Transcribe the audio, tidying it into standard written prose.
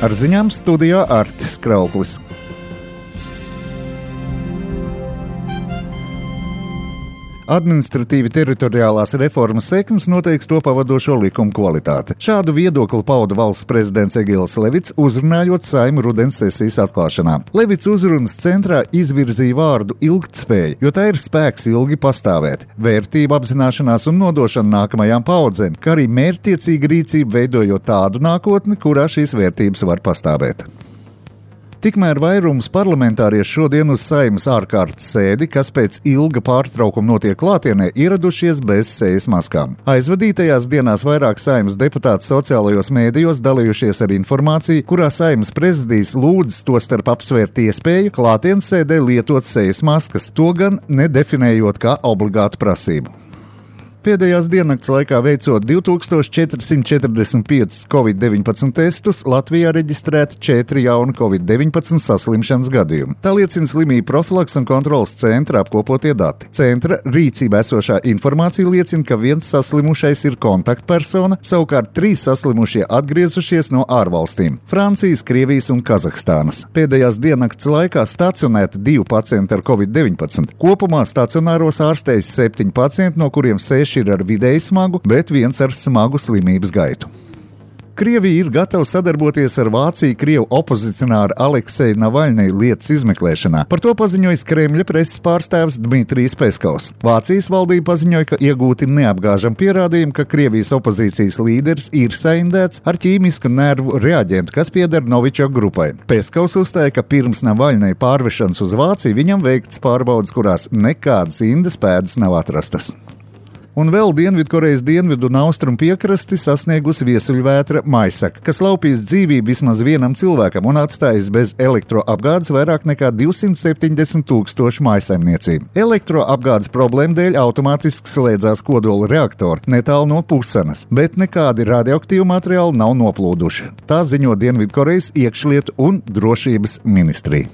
Ar ziņām studijā Artis Krauklis. Administratīvi teritoriālās reformas sekmes noteiks to pavadošo likumu kvalitāti. Šādu viedokli pauda valsts prezidents Egils Levits, uzrunājot Saeimu rudens sesijas atklāšanā. Levits uzrunas centrā izvirzīja vārdu ilgtspēja, jo tā ir spēks ilgi pastāvēt, vērtību apzināšanās un nodošana nākamajām paudzēm, kā arī mērķtiecīga rīcība veidojot tādu nākotni, kurā šīs vērtības var pastāvēt. Tikmēr vairums parlamentāriešu šodien uz Saeimas ārkārtas sēdi, kas pēc ilga pārtraukuma notiek klātienē, ieradušies bez sejas maskām. Aizvadītajās dienās vairāk Saeimas deputāti sociālajos mēdījos dalījušies ar informāciju, kurā Saeimas prezidijs lūdz tostarp apsvērt iespēju klātienes sēdē lietot sejas maskas, to gan nedefinējot kā obligātu prasību. Pēdējās diennakts laikā veicot 2445 Covid-19 testus, Latvijā reģistrēti 4 jauni Covid-19 saslimšanas gadījumi. Tā liecina slimību profilaks un kontrolas centra apkopotie dati. Centra rīcībā esošā informācija liecina, ka viens saslimušais ir kontaktpersona, savukārt 3 saslimušie atgriezušies no ārvalstīm – Francijas, Krievijas un Kazahstānas. Pēdējās diennakts laikā stacionēti 2 pacienti ar Covid-19. Kopumā stacionāros ārstējas 7 pacienti, no kuriem 6 ir ar vidēji smagu, bet 1 ar smagu slimības gaitu. Krievija ir gatava sadarboties ar Vāciju Krievu opozicionāru Alekseju Navaļņiju lietas izmeklēšanā. Par to paziņojis Kremļa preses pārstāvis Dmitrijs Peskovs. Vācijas valdība paziņoja, ka iegūti neapgāžami pierādījumi, ka Krievijas opozīcijas līderis ir saindēts ar ķīmisku nervu reaģentu, kas pieder Novičok grupai. Peskovs uzstāja, ka pirms Navaļņija pārvešanas uz Vāciju viņam veikts pārbaudes, kurās nekādas indas pēdas nav atrastas. Un vēl Dienvidkorejas dienvidu un austrumu piekrasti sasniegusi viesuļvētra Maisaka, kas laupīs dzīvību vismaz vienam cilvēkam un atstājis bez elektroapgādes vairāk nekā 270 000 mājsaimniecību. Elektroapgādes problēmu dēļ automātiski slēdzās kodola reaktori netālu no Pusanas, bet nekādi radioaktīvi materiāli nav noplūduši. Tā ziņo Dienvidkorejas iekšlietu un drošības ministrija.